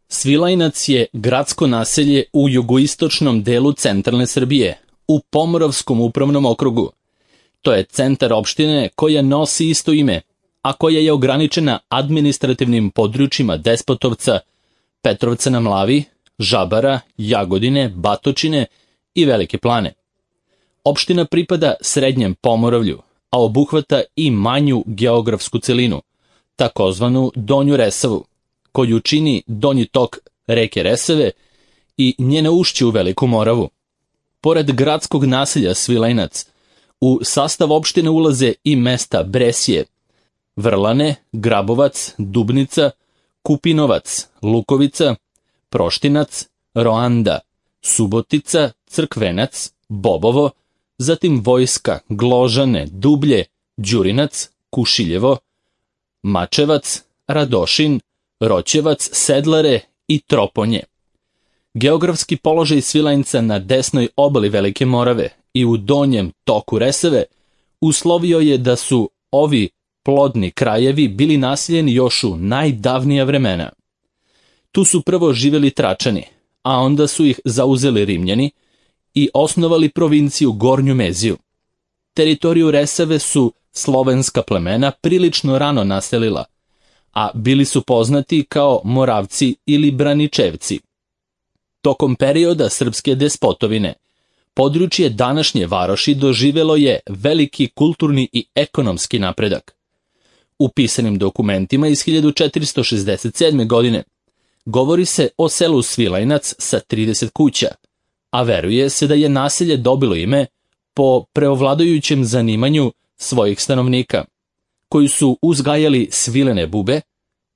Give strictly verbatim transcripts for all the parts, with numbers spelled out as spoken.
Svilajnac je gradsko naselje u jugoistočnom delu centralne Srbije, u Pomoravskom upravnom okrugu. To je centar opštine koja nosi isto ime, a koja je ograničena administrativnim područjima Despotovca, Petrovca na Mlavi, Žabara, Jagodine, Batočine i Velike Plane. Opština pripada Srednjem Pomoravlju, a obuhvata i manju geografsku celinu, takozvanu Donju Resavu, koju čini donji tok reke Resave i njene ušće u Veliku Moravu. Pored gradskog naselja Svilajnac, u sastav opštine ulaze i mesta Bresje, Vrlane, Grabovac, Dubnica, Kupinovac, Lukovica, Proštinac, Roanda, Subotica, Crkvenac, Bobovo, zatim Vojska, Gložane, Dublje, Đurinac, Kušiljevo, Mačevac, Radošin, Roćevac, Sedlare i Troponje. Geografski položaj Svilajnca na desnoj obali Velike Morave i u donjem toku Resave uslovio je da su ovi plodni krajevi bili naseljeni još u najdavnija vremena. Tu su prvo živjeli Tračani, a onda su ih zauzeli Rimljani i osnovali provinciju Gornju Meziju. Teritoriju Resave su slovenska plemena prilično rano naselila, a bili su poznati kao Moravci ili Braničevci. Tokom perioda srpske despotovine, područje današnje varoši doživjelo je veliki kulturni i ekonomski napredak. U pisanim dokumentima iz hiljadu četiristo šezdeset sedme. godine govori se o selu Svilajnac sa trideset kuća, a veruje se da je naselje dobilo ime po preovladajućem zanimanju svojih stanovnika, koji su uzgajali svilene bube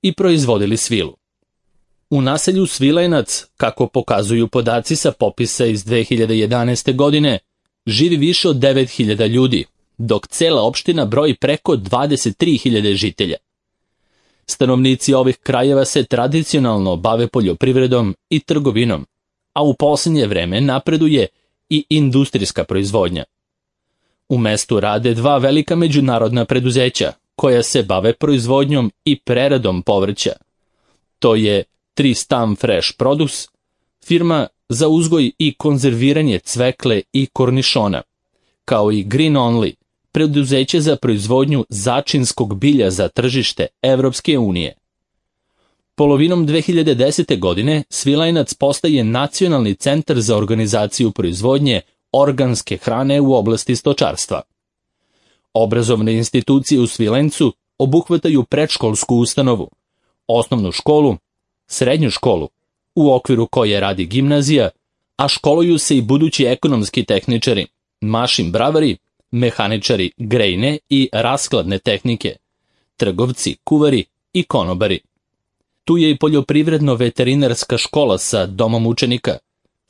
i proizvodili svilu. U naselju Svilajnac, kako pokazuju podaci sa popisa iz dve hiljade jedanaeste. godine, živi više od devet hiljada ljudi, dok cela opština broji preko dvadeset tri hiljade žitelja. Stanovnici ovih krajeva se tradicionalno bave poljoprivredom i trgovinom, a u posljednje vreme napreduje i industrijska proizvodnja. U mestu rade dva velika međunarodna preduzeća koja se bave proizvodnjom i preradom povrća. To je Tristan Fresh Produce, firma za uzgoj i konzerviranje cvekle i kornišona, kao i Green Only, preduzeće za proizvodnju začinskog bilja za tržište Evropske unije. Polovinom dve hiljade desete. godine Svilajnac postaje nacionalni centar za organizaciju proizvodnje organske hrane u oblasti stočarstva. Obrazovne institucije u Svilajncu obuhvataju predškolsku ustanovu, osnovnu školu, srednju školu, u okviru koje radi gimnazija, a školuju se i budući ekonomski tehničari, mašin bravari, mehaničari grejne i raskladne tehnike, trgovci, kuvari i konobari. Tu je i poljoprivredno-veterinarska škola sa domom učenika,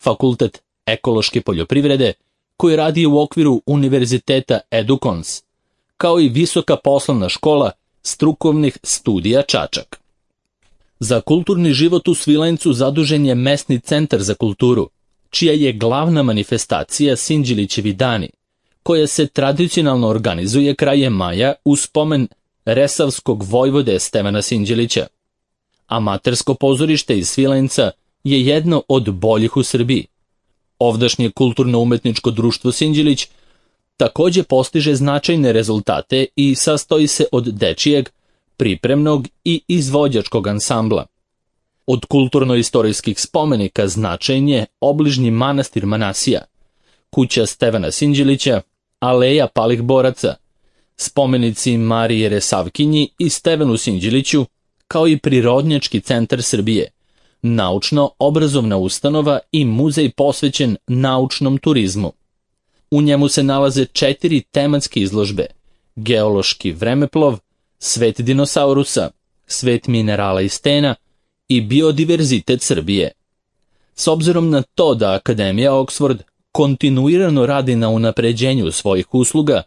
fakultet ekološke poljoprivrede, koji radi u okviru Univerziteta Edukons, kao i visoka poslovna škola strukovnih studija Čačak. Za kulturni život u Svilajncu zadužen je mesni centar za kulturu, čija je glavna manifestacija Sinđilićevi dani, koja se tradicionalno organizuje krajem maja u spomen resavskog vojvode Stevana Sinđilića. Amatersko pozorište iz Svilajnca je jedno od boljih u Srbiji. Ovdašnje kulturno-umetničko društvo Sinđilić takođe postiže značajne rezultate i sastoji se od dečijeg, pripremnog i izvođačkog ansambla. Od kulturno-istorijskih spomenika značajan je obližnji manastir Manasija, kuća Stevana Sinđilića, aleja palih boraca, spomenici Marije Resavkinji i Stevanu Sinđiliću, kao i Prirodnjački centar Srbije, naučno-obrazovna ustanova i muzej posvećen naučnom turizmu. U njemu se nalaze četiri tematske izložbe: geološki vremeplov, svet dinosaurusa, svet minerala i stena i biodiverzitet Srbije. S obzirom na to da Akademija Oxford kontinuirano radi na unapređenju svojih usluga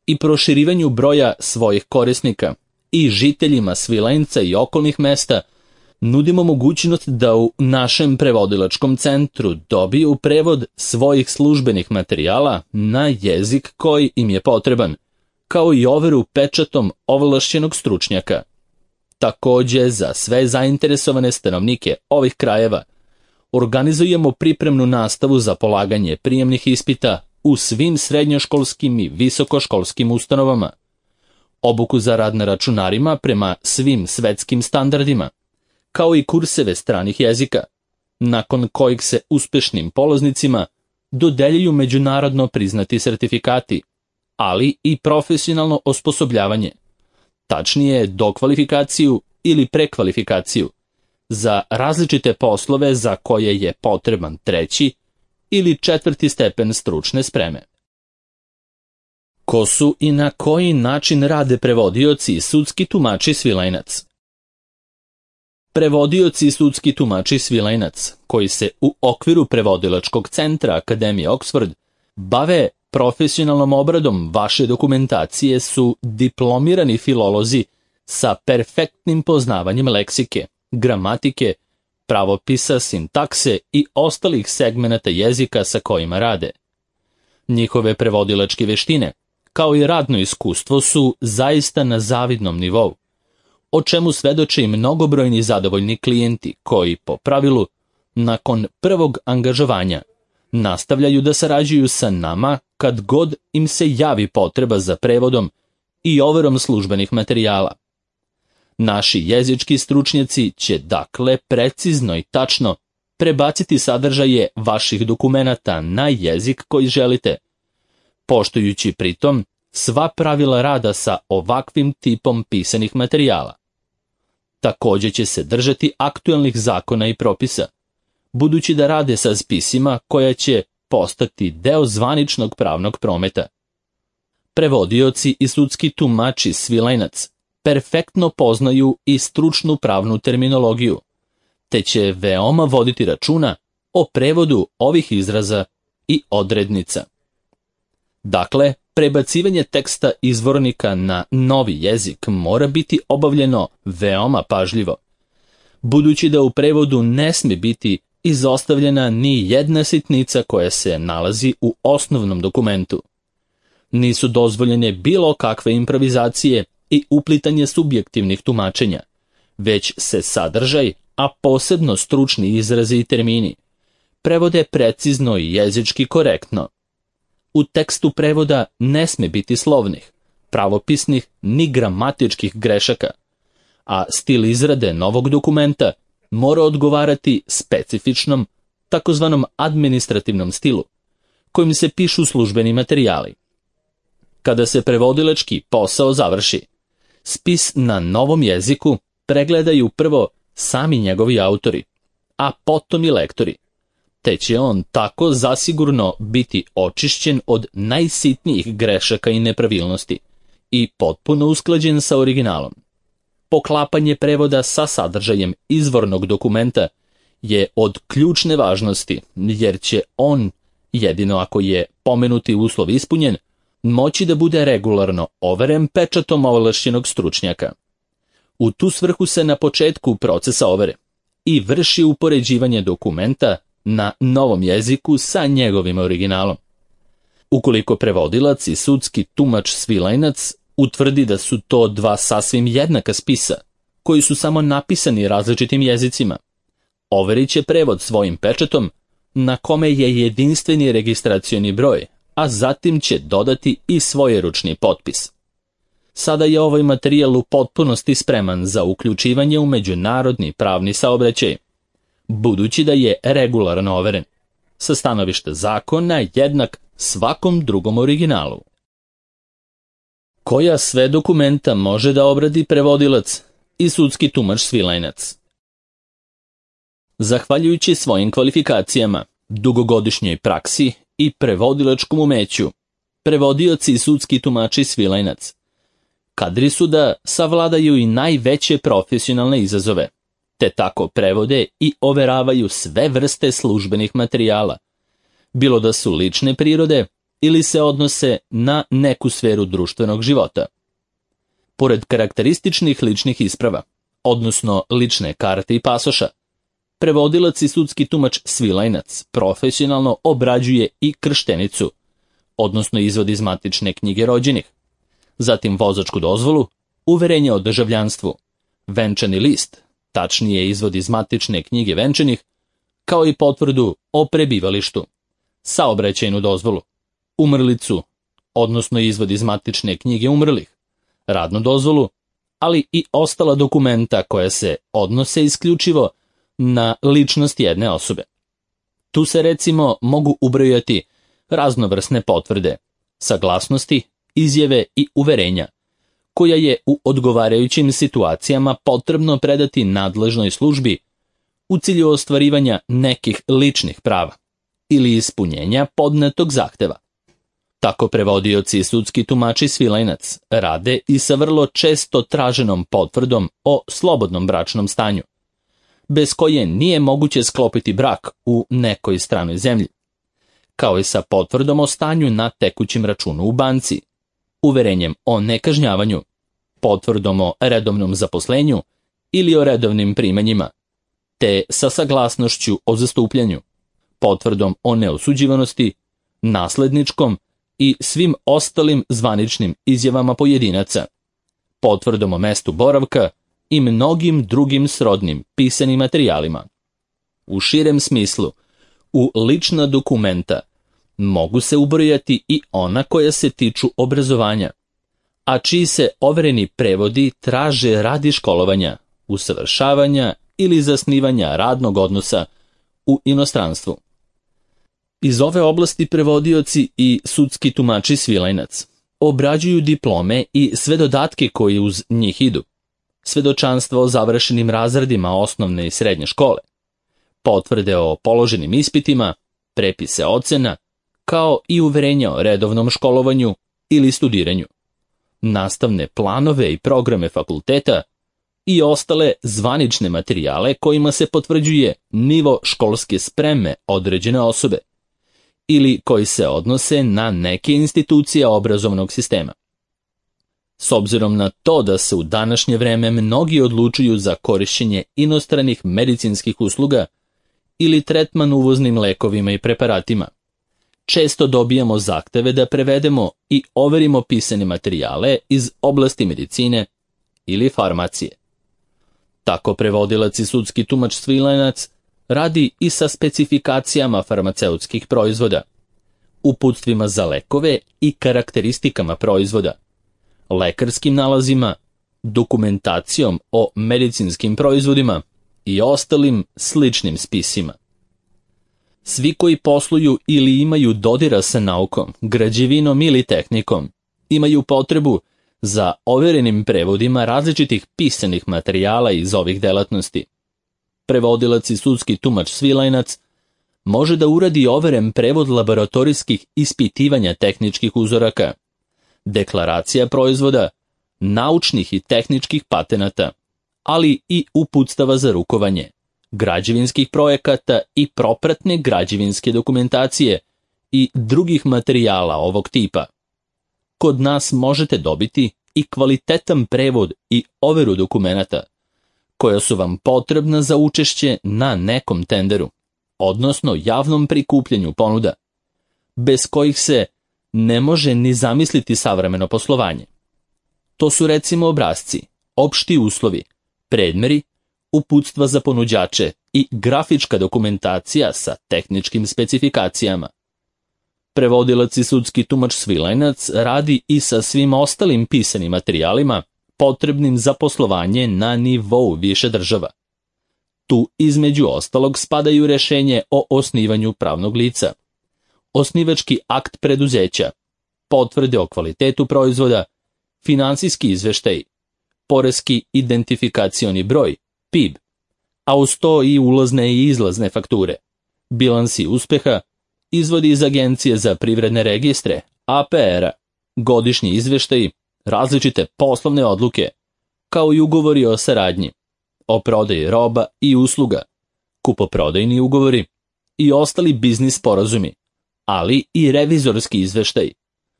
i proširivanju broja svojih korisnika, i žiteljima Svilajnca i okolnih mesta nudimo mogućnost da u našem prevodilačkom centru dobiju prevod svojih službenih materijala na jezik koji im je potreban, kao i overu pečatom ovlašćenog stručnjaka. Takođe, za sve zainteresovane stanovnike ovih krajeva organizujemo pripremnu nastavu za polaganje prijemnih ispita u svim srednjoškolskim i visokoškolskim ustanovama, obuku za rad na računarima prema svim svetskim standardima, kao i kurseve stranih jezika, nakon kojih se uspešnim polaznicima dodeljuju međunarodno priznati sertifikati, ali i profesionalno osposobljavanje, tačnije dokvalifikaciju ili prekvalifikaciju, za različite poslove za koje je potreban treći ili četvrti stepen stručne spreme. Ko su i na koji način rade prevodioci i sudski tumači Svilajnac? Prevodioci i sudski tumači Svilajnac, koji se u okviru prevodilačkog centra Akademije Oxford bave profesionalnom obradom vaše dokumentacije, su diplomirani filolozi sa perfektnim poznavanjem leksike, gramatike, pravopisa, sintakse i ostalih segmenata jezika sa kojima rade. Njihove prevodilačke veštine, kao i radno iskustvo, su zaista na zavidnom nivou, o čemu svedoče i mnogobrojni zadovoljni klijenti koji, po pravilu, nakon prvog angažovanja, nastavljaju da sarađuju sa nama kad god im se javi potreba za prevodom i overom službenih materijala. Naši jezički stručnjaci će dakle precizno i tačno prebaciti sadržaje vaših dokumenata na jezik koji želite, poštujući pritom sva pravila rada sa ovakvim tipom pisanih materijala. Takođe će se držati aktuelnih zakona i propisa, budući da rade sa spisima koja će postati deo zvaničnog pravnog prometa. Prevodioci i sudski tumači Svilajnac perfektno poznaju i stručnu pravnu terminologiju, te će veoma voditi računa o prevodu ovih izraza i odrednica. Dakle, prebacivanje teksta izvornika na novi jezik mora biti obavljeno veoma pažljivo, budući da u prevodu ne sme biti izostavljena ni jedna sitnica koja se nalazi u osnovnom dokumentu. Nisu dozvoljene bilo kakve improvizacije i uplitanje subjektivnih tumačenja, već se sadržaj, a posebno stručni izrazi i termini, prevode precizno i jezički korektno. U tekstu prevoda ne sme biti slovnih, pravopisnih ni gramatičkih grešaka, a stil izrade novog dokumenta mora odgovarati specifičnom, takozvanom administrativnom stilu, kojim se pišu službeni materijali. Kada se prevodilački posao završi, spis na novom jeziku pregledaju prvo sami njegovi autori, a potom i lektori, te će on tako zasigurno biti očišćen od najsitnijih grešaka i nepravilnosti i potpuno usklađen sa originalom. Poklapanje prevoda sa sadržajem izvornog dokumenta je od ključne važnosti, jer će on, jedino ako je pomenuti uslov ispunjen, moći da bude regularno overen pečatom ovlašćenog stručnjaka. U tu svrhu se na početku procesa overe i vrši upoređivanje dokumenta na novom jeziku sa njegovim originalom. Ukoliko prevodilac i sudski tumač Svilajnac utvrdi da su to dva sasvim jednaka spisa, koji su samo napisani različitim jezicima, overit će prevod svojim pečatom, na kome je jedinstveni registracioni broj, a zatim će dodati i svoj ručni potpis. Sada je ovaj materijal u potpunosti spreman za uključivanje u međunarodni pravni saobraćaj, budući da je regularno overen, sa stanovišta zakona jednak svakom drugom originalu. Koja sve dokumenta može da obradi prevodilac i sudski tumač Svilajnac? Zahvaljujući svojim kvalifikacijama, dugogodišnjoj praksi i prevodilačkom umeću, prevodioci i sudski tumači Svilajnac kadri su da savladaju i najveće profesionalne izazove, te tako prevode i overavaju sve vrste službenih materijala, bilo da su lične prirode ili se odnose na neku sferu društvenog života. Pored karakterističnih ličnih isprava, odnosno lične karte i pasoša, prevodilac i sudski tumač Svilajnac profesionalno obrađuje i krštenicu, odnosno izvod iz matične knjige rođenih, zatim vozačku dozvolu, uverenje o državljanstvu, venčani list, tačnije izvod iz matične knjige venčanih, kao i potvrdu o prebivalištu, saobraćajnu dozvolu, umrlicu, odnosno izvod iz matične knjige umrlih, radnu dozvolu, ali i ostala dokumenta koja se odnose isključivo na ličnost jedne osobe. Tu se recimo mogu ubrojati raznovrsne potvrde, saglasnosti, izjave i uverenja, koja je u odgovarajućim situacijama potrebno predati nadležnoj službi u cilju ostvarivanja nekih ličnih prava ili ispunjenja podnetog zahteva. Tako prevodioci i sudski tumači Svilajnac rade i sa vrlo često traženom potvrdom o slobodnom bračnom stanju, bez koje nije moguće sklopiti brak u nekoj stranoj zemlji, kao i sa potvrdom o stanju na tekućem računu u banci, uverenjem o nekažnjavanju, potvrdom o redovnom zaposlenju ili o redovnim primanjima, te sa saglasnošću o zastupljanju, potvrdom o neosuđivanosti, nasledničkom i svim ostalim zvaničnim izjavama pojedinaca, potvrdom o mestu boravka i mnogim drugim srodnim pisanim materijalima. U širem smislu, u lična dokumenta mogu se ubrojati i ona koja se tiču obrazovanja, a čiji se overeni prevodi traže radi školovanja, usavršavanja ili zasnivanja radnog odnosa u inostranstvu. Iz ove oblasti prevodioci i sudski tumači Svilajnac obrađuju diplome i sve dodatke koji uz njih idu, svedočanstva o završenim razredima osnovne i srednje škole, potvrde o položenim ispitima, prepise ocena, kao i uverenja o redovnom školovanju ili studiranju, nastavne planove i programe fakulteta i ostale zvanične materijale kojima se potvrđuje nivo školske spreme određene osobe ili koji se odnose na neke institucije obrazovnog sistema. S obzirom na to da se u današnje vreme mnogi odlučuju za korišćenje inostranih medicinskih usluga ili tretman uvoznim lekovima i preparatima, često dobijamo zahteve da prevedemo i overimo pisane materijale iz oblasti medicine ili farmacije. Tako prevodilac i sudski tumač Svilajnac radi i sa specifikacijama farmaceutskih proizvoda, uputstvima za lekove i karakteristikama proizvoda, lekarskim nalazima, dokumentacijom o medicinskim proizvodima i ostalim sličnim spisima. Svi koji posluju ili imaju dodira sa naukom, građevinom ili tehnikom, imaju potrebu za overenim prevodima različitih pisanih materijala iz ovih delatnosti. Prevodilac i sudski tumač Svilajnac može da uradi overen prevod laboratorijskih ispitivanja tehničkih uzoraka, deklaracija proizvoda, naučnih i tehničkih patenata, ali i uputstava za rukovanje, građevinskih projekata i propratne građevinske dokumentacije i drugih materijala ovog tipa. Kod nas možete dobiti i kvalitetan prevod i overu dokumenata, koja su vam potrebna za učešće na nekom tenderu, odnosno javnom prikupljanju ponuda, bez kojih se ne može ni zamisliti savremeno poslovanje. To su recimo obrasci, opšti uslovi, predmeri, uputstva za ponuđače i grafička dokumentacija sa tehničkim specifikacijama. Prevodilac i sudski tumač Svilajnac radi i sa svim ostalim pisanim materijalima potrebnim za poslovanje na nivou više država. Tu između ostalog spadaju rešenje o osnivanju pravnog lica, osnivački akt preduzeća, potvrde o kvalitetu proizvoda, finansijski izveštaj, poreski identifikacioni broj, P I B, a uz to i ulazne i izlazne fakture, bilansi uspeha, izvodi iz Agencije za privredne registre, A P R-a, godišnji izveštaji, različite poslovne odluke, kao i ugovori o saradnji, o prodaji roba i usluga, kupoprodajni ugovori i ostali biznis sporazumi, ali i revizorski izveštaj,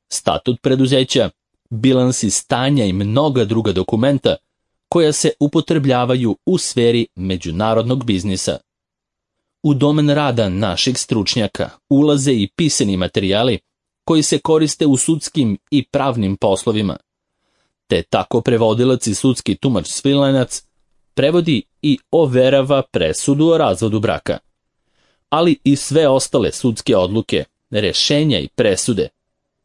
statut preduzeća, bilansi stanja i mnoga druga dokumenta koja se upotrebljavaju u sferi međunarodnog biznisa. U domen rada naših stručnjaka ulaze i pisani materijali koji se koriste u sudskim i pravnim poslovima, te tako prevodilac i sudski tumač Svilajnac prevodi i overava presudu o razvodu braka, ali i sve ostale sudske odluke, rešenja i presude,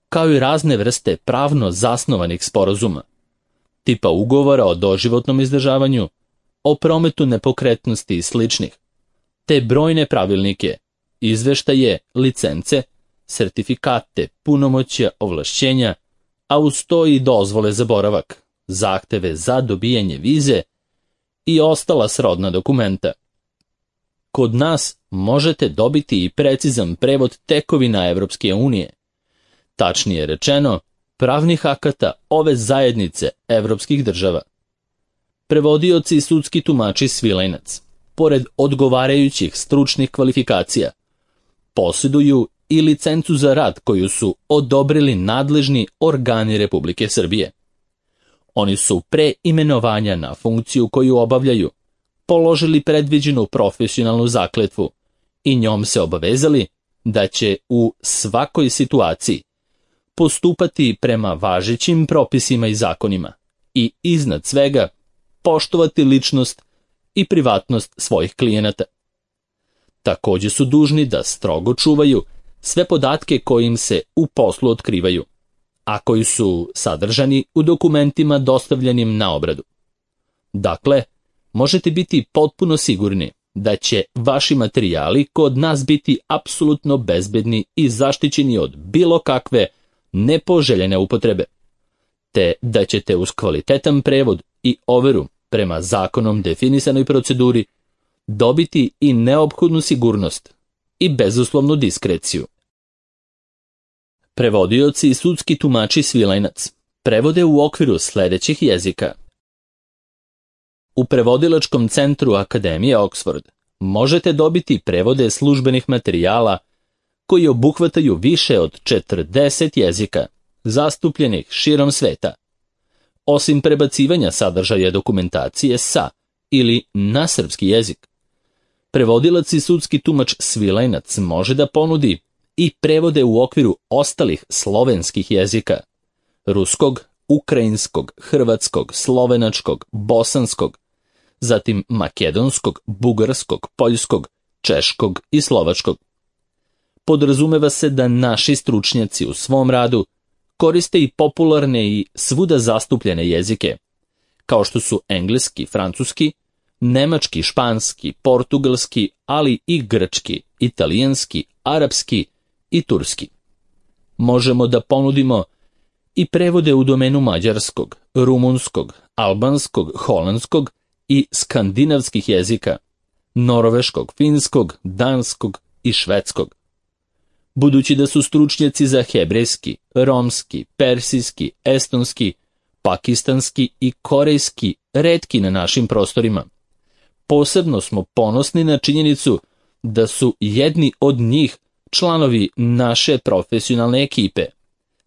kao i razne vrste pravno zasnovanih sporazuma, tipa ugovora o doživotnom izdržavanju, o prometu nepokretnosti i sličnih, te brojne pravilnike, izveštaje, licence, sertifikate, punomoćja, ovlašćenja, a uz to i dozvole za boravak, zahteve za dobijanje vize i ostala srodna dokumenta. Kod nas možete dobiti i precizan prevod tekovina Evropske unije, tačnije rečeno, pravnih akata ove zajednice evropskih država. Prevodioci i sudski tumači Svilajnac, pored odgovarajućih stručnih kvalifikacija, posjeduju i licencu za rad koju su odobrili nadležni organi Republike Srbije. Oni su pre imenovanja na funkciju koju obavljaju položili predviđenu profesionalnu zakletvu i njom se obavezali da će u svakoj situaciji postupati prema važećim propisima i zakonima i iznad svega poštovati ličnost i privatnost svojih klijenata. Također su dužni da strogo čuvaju sve podatke koji im se u poslu otkrivaju, a koji su sadržani u dokumentima dostavljenim na obradu. Dakle, možete biti potpuno sigurni da će vaši materijali kod nas biti apsolutno bezbedni i zaštićeni od bilo kakve nepoželjene upotrebe, te da ćete uz kvalitetan prevod i overu prema zakonom definisanoj proceduri dobiti i neophodnu sigurnost i bezuslovnu diskreciju. Prevodioci i sudski tumači Svilajnac prevode u okviru sljedećih jezika. U prevodilačkom centru Akademije Oxford možete dobiti prevode službenih materijala koji obuhvataju više od četrdeset jezika, zastupljenih širom sveta. Osim prebacivanja sadržaja dokumentacije sa ili na srpski jezik, prevodilac i sudski tumač Svilajnac može da ponudi i prevode u okviru ostalih slovenskih jezika, ruskog, ukrajinskog, hrvatskog, slovenačkog, bosanskog, zatim makedonskog, bugarskog, poljskog, češkog i slovačkog. Podrazumeva se da naši stručnjaci u svom radu koriste i popularne i svuda zastupljene jezike, kao što su engleski, francuski, nemački, španski, portugalski, ali i grčki, italijanski, arapski i turski. Možemo da ponudimo i prevode u domenu mađarskog, rumunskog, albanskog, holandskog i skandinavskih jezika, norveškog, finskog, danskog i švedskog. Budući da su stručnjaci za hebrejski, romski, persijski, estonski, pakistanski i korejski retki na našim prostorima, posebno smo ponosni na činjenicu da su jedni od njih članovi naše profesionalne ekipe,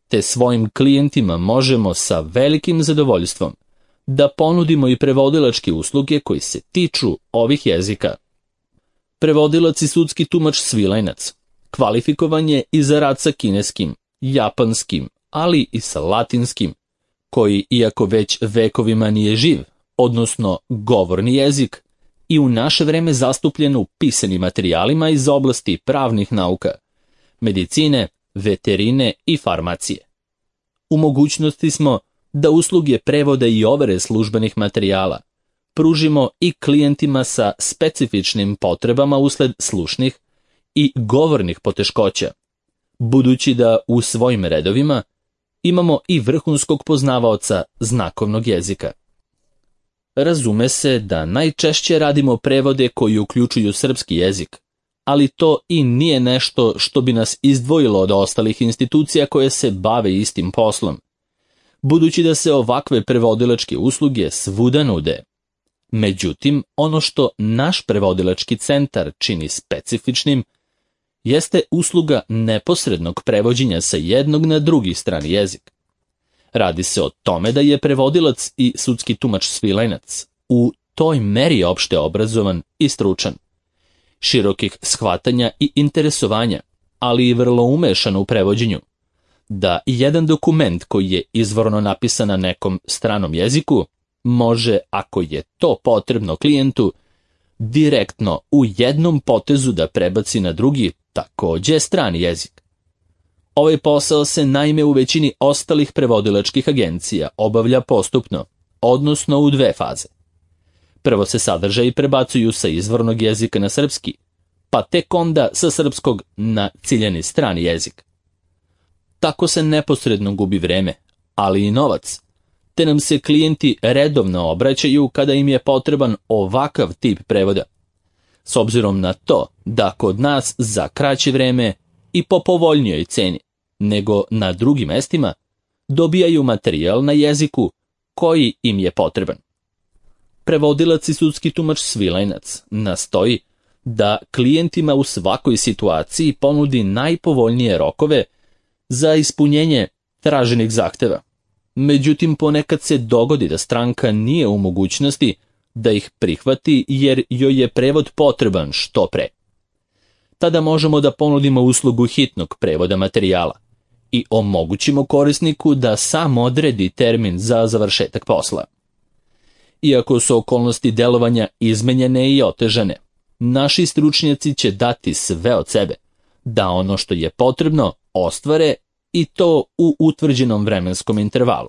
te svojim klijentima možemo sa velikim zadovoljstvom da ponudimo i prevodilačke usluge koji se tiču ovih jezika. Prevodilac i sudski tumač Svilajnac kvalifikovan je i za rad sa kineskim, japanskim, ali i sa latinskim, koji, iako već vekovima nije živ, odnosno govorni jezik, i u naše vreme zastupljen u pisanim materijalima iz oblasti pravnih nauka, medicine, veterine i farmacije. U mogućnosti smo da usluge prevoda i overe službenih materijala pružimo i klijentima sa specifičnim potrebama usled slušnih i govornih poteškoća, budući da u svojim redovima imamo i vrhunskog poznavaoca znakovnog jezika. Razume se da najčešće radimo prevode koji uključuju srpski jezik, ali to i nije nešto što bi nas izdvojilo od ostalih institucija koje se bave istim poslom, budući da se ovakve prevodilačke usluge svuda nude. Međutim, ono što naš prevodilački centar čini specifičnim jeste usluga neposrednog prevođenja sa jednog na drugi strani jezik. Radi se o tome da je prevodilac i sudski tumač Svilajnac u toj meri opšte obrazovan i stručan, širokih shvatanja i interesovanja, ali i vrlo umešan u prevođenju, da jedan dokument koji je izvorno napisan na nekom stranom jeziku može, ako je to potrebno klijentu, direktno u jednom potezu da prebaci na drugi, takođe strani jezik. Ovaj posao se naime u većini ostalih prevodilačkih agencija obavlja postupno, odnosno u dve faze. Prvo se sadržaji prebacuju sa izvornog jezika na srpski, pa tek onda sa srpskog na ciljani strani jezik. Tako se neposredno gubi vreme, ali i novac, te nam se klijenti redovno obraćaju kada im je potreban ovakav tip prevoda, s obzirom na to da kod nas za kraće vreme i po povoljnijoj ceni nego na drugim mestima dobijaju materijal na jeziku koji im je potreban. Prevodilac i sudski tumač Svilajnac nastoji da klijentima u svakoj situaciji ponudi najpovoljnije rokove za ispunjenje traženih zahteva. Međutim, ponekad se dogodi da stranka nije u mogućnosti da ih prihvati jer joj je prevod potreban što pre. Tada možemo da ponudimo uslugu hitnog prevoda materijala i omogućimo korisniku da sam odredi termin za završetak posla. Iako su okolnosti delovanja izmenjene i otežane, naši stručnjaci će dati sve od sebe da ono što je potrebno ostvare i to u utvrđenom vremenskom intervalu.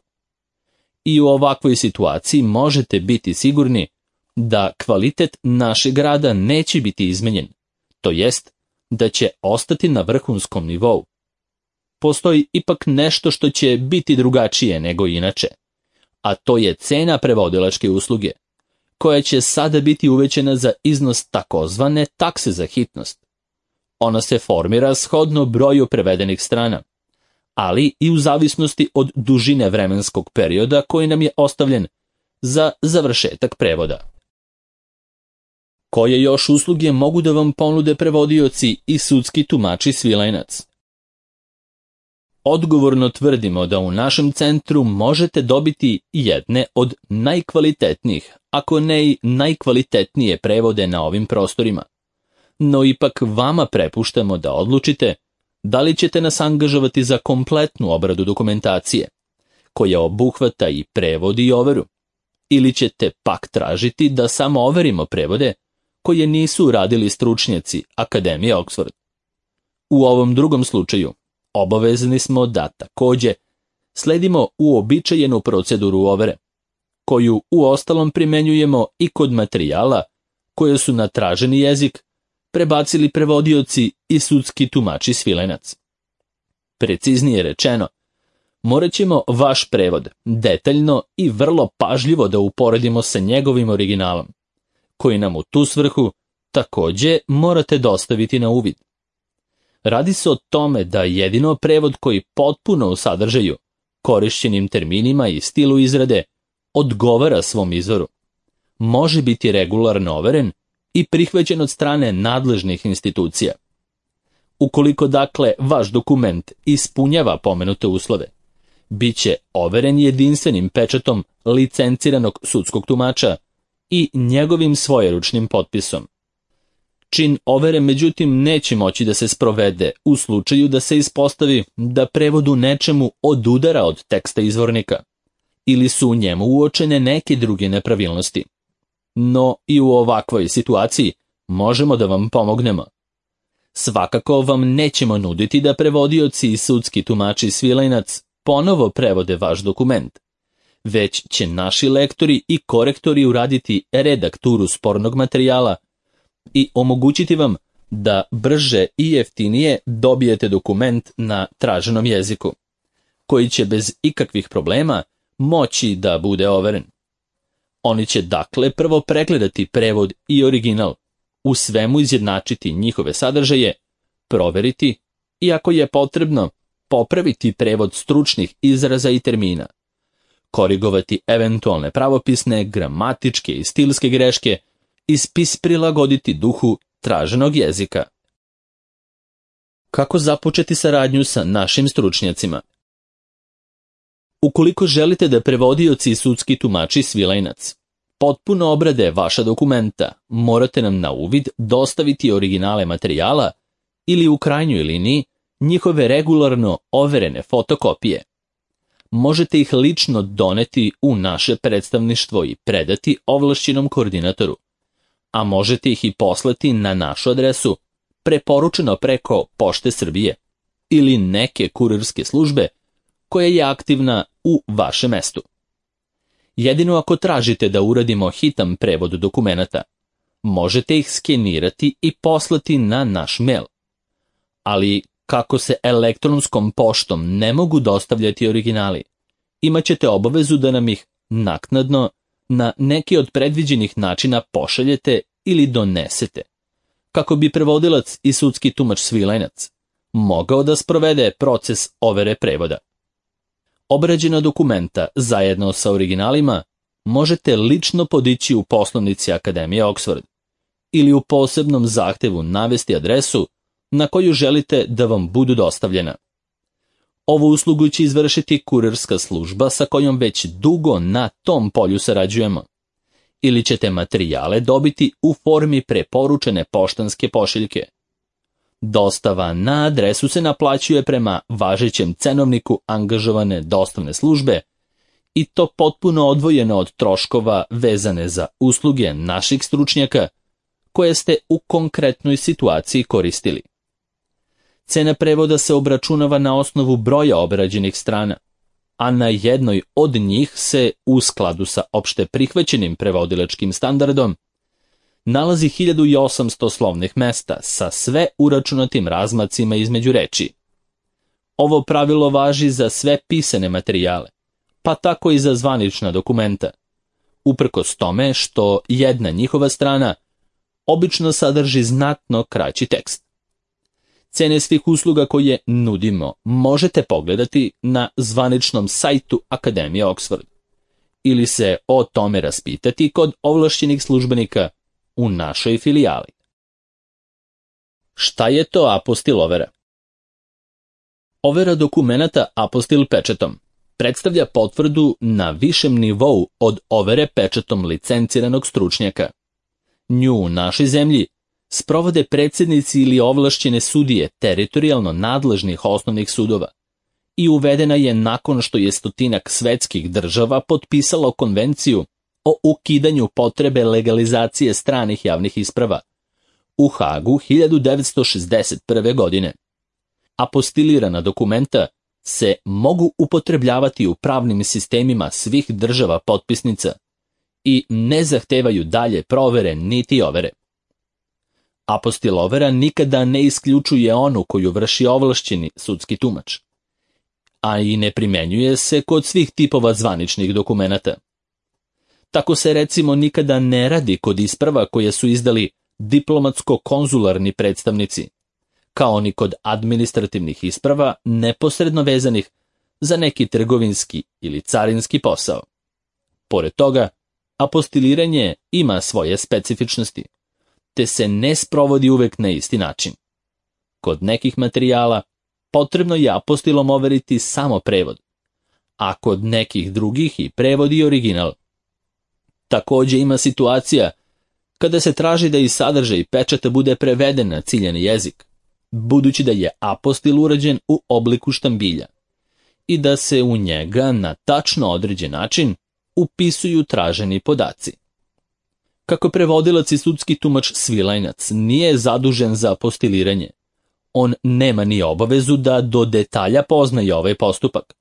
I u ovakvoj situaciji možete biti sigurni da kvalitet našeg rada neće biti izmenjen, to jest da će ostati na vrhunskom nivou. Postoji ipak nešto što će biti drugačije nego inače, a to je cena prevodilačke usluge, koja će sada biti uvećana za iznos takozvane takse za hitnost. Ona se formira shodno broju prevedenih strana, ali i u zavisnosti od dužine vremenskog perioda koji nam je ostavljen za završetak prevoda. Koje još usluge mogu da vam ponude prevodioci i sudski tumači Svilajnac? Odgovorno tvrdimo da u našem centru možete dobiti jedne od najkvalitetnijih, ako ne i najkvalitetnije prevode na ovim prostorima. No ipak vama prepuštamo da odlučite da li ćete nas angažovati za kompletnu obradu dokumentacije, koja obuhvata i prevod i overu, ili ćete pak tražiti da samo overimo prevode koje nisu uradili stručnjaci Akademije Oxford. U ovom drugom slučaju obavezni smo da takođe sledimo uobičajenu proceduru overe, koju uostalom primenjujemo i kod materijala koje su na traženi jezik prebacili prevodioci i sudski tumači Svilajnac. Preciznije rečeno, morat ćemo vaš prevod detaljno i vrlo pažljivo da uporedimo sa njegovim originalom, koji nam u tu svrhu takođe morate dostaviti na uvid. Radi se o tome da jedino prevod koji potpuno u sadržaju, korišćenim terminima i stilu izrade, odgovara svom izvoru, može biti regularno overen i prihvaćen od strane nadležnih institucija. Ukoliko dakle vaš dokument ispunjava pomenute uslove, bit će overen jedinstvenim pečatom licenciranog sudskog tumača i njegovim svojeručnim potpisom. Čin overe međutim neće moći da se sprovede u slučaju da se ispostavi da prevod u nečemu odudara od teksta izvornika ili su u njemu uočene neke druge nepravilnosti. No i u ovakvoj situaciji možemo da vam pomognemo. Svakako vam nećemo nuditi da prevodioci i sudski tumači Svilajnac ponovo prevode vaš dokument, već će naši lektori i korektori uraditi redakturu spornog materijala i omogućiti vam da brže i jeftinije dobijete dokument na traženom jeziku, koji će bez ikakvih problema moći da bude overen. Oni će dakle prvo pregledati prevod i original, u svemu izjednačiti njihove sadržaje, proveriti i ako je potrebno, popraviti prevod stručnih izraza i termina, korigovati eventualne pravopisne, gramatičke i stilske greške i spis prilagoditi duhu traženog jezika. Kako započeti saradnju sa našim stručnjacima? Ukoliko želite da prevodioci i sudski tumači Svilajnac potpuno obrade vaša dokumenta, morate nam na uvid dostaviti originale materijala ili u krajnjoj liniji njihove regularno overene fotokopije. možete ih lično doneti u naše predstavništvo i predati ovlašćenom koordinatoru, a možete ih i poslati na našu adresu, preporučeno preko Pošte Srbije ili neke kurirske službe koja je aktivna u vašem mestu. Jedino ako tražite da uradimo hitan prevod dokumenata, možete ih skenirati i poslati na naš mail. Ali kako se elektronskom poštom ne mogu dostavljati originali, imat ćete obavezu da nam ih naknadno na neki od predviđenih načina pošaljete ili donesete, kako bi prevodilac i sudski tumač Svilajnac mogao da sprovede proces overe prevoda. Obrađena dokumenta zajedno sa originalima možete lično podići u poslovnici Akademije Oxford ili u posebnom zahtevu navesti adresu na koju želite da vam budu dostavljena. Ovu uslugu će izvršiti kurirska služba sa kojom već dugo na tom polju sarađujemo, ili ćete materijale dobiti u formi preporučene poštanske pošiljke. Dostava na adresu se naplaćuje prema važećem cenovniku angažovane dostavne službe i to potpuno odvojeno od troškova vezane za usluge naših stručnjaka koje ste u konkretnoj situaciji koristili. Cena prevoda se obračunava na osnovu broja obrađenih strana, a na jednoj od njih se, u skladu sa opšte prihvaćenim prevodilačkim standardom, nalazi hiljadu osamsto slovnih mesta sa sve uračunatim razmacima između reči. Ovo pravilo važi za sve pisane materijale, pa tako i za zvanična dokumenta, uprkos tome što jedna njihova strana obično sadrži znatno kraći tekst. Cene svih usluga koje nudimo možete pogledati na zvaničnom sajtu Akademije Oxford ili se o tome raspitati kod ovlašćenih službenika u našoj filijali. Šta je to apostil overa? Overa dokumenata apostil pečatom predstavlja potvrdu na višem nivou od overe pečatom licenciranog stručnjaka. Nju u našoj zemlji sprovode predsjednici ili ovlašćene sudije teritorijalno nadležnih osnovnih sudova i uvedena je nakon što je stotinak svetskih država potpisalo konvenciju o ukidanju potrebe legalizacije stranih javnih isprava u Hagu hiljadu devetsto šezdeset prve. godine. Apostilirana dokumenta se mogu upotrebljavati u pravnim sistemima svih država potpisnica i ne zahtevaju dalje provere niti overe. Apostil overa nikada ne isključuje onu koju vrši ovlašćeni sudski tumač, a i ne primenjuje se kod svih tipova zvaničnih dokumenata. Tako se recimo nikada ne radi kod isprava koje su izdali diplomatsko-konzularni predstavnici, kao ni kod administrativnih isprava neposredno vezanih za neki trgovinski ili carinski posao. Pored toga, apostiliranje ima svoje specifičnosti, te se ne sprovodi uvek na isti način. Kod nekih materijala potrebno je apostilom overiti samo prevod, a kod nekih drugih i prevod i original. Također ima situacija kada se traži da i sadržaj pečata bude preveden na ciljani jezik, budući da je apostil urađen u obliku štambilja i da se u njega na tačno određen način upisuju traženi podaci. Kako prevodilac i sudski tumač Svilajnac nije zadužen za apostiliranje, on nema ni obavezu da do detalja poznaje ovaj postupak,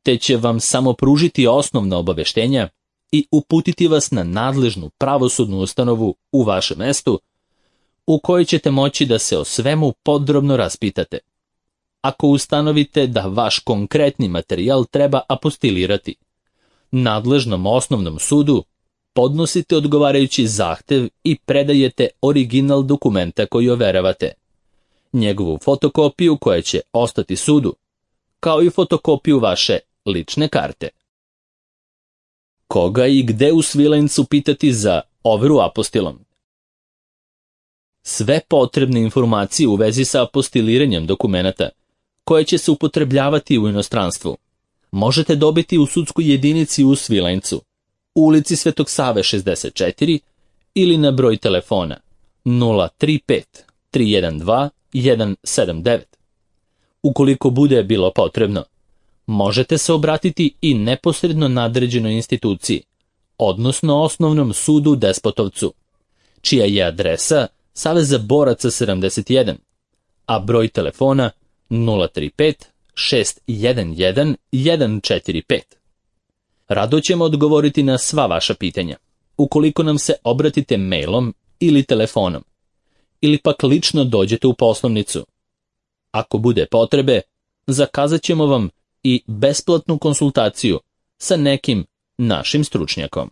te će vam samo pružiti osnovna obaveštenja i uputiti vas na nadležnu pravosudnu ustanovu u vašem mestu, u kojoj ćete moći da se o svemu podrobno raspitate. Ako ustanovite da vaš konkretni materijal treba apostilirati, nadležnom osnovnom sudu podnosite odgovarajući zahtev i predajete original dokumenta koji overavate, njegovu fotokopiju koja će ostati sudu, kao i fotokopiju vaše lične karte. Koga i gde u Svilajncu pitati za overu apostilom? Sve potrebne informacije u vezi sa apostiliranjem dokumenata, koje će se upotrebljavati u inostranstvu, možete dobiti u sudskoj jedinici u Svilajncu, u ulici Svetog Save šezdeset četiri ili na broj telefona nula tri pet tri jedan dva jedan sedam devet. Ukoliko bude bilo potrebno, Možete se obratiti i neposredno nadređenoj instituciji, odnosno Osnovnom sudu u Despotovcu, čija je adresa Saveza boraca sedamdeset jedan, a broj telefona nula tri pet šest jedan jedan jedan četiri pet. Rado ćemo odgovoriti na sva vaša pitanja, ukoliko nam se obratite mailom ili telefonom, ili pak lično dođete u poslovnicu. Ako bude potrebe, zakazat ćemo vam i besplatnu konsultaciju sa nekim našim stručnjakom.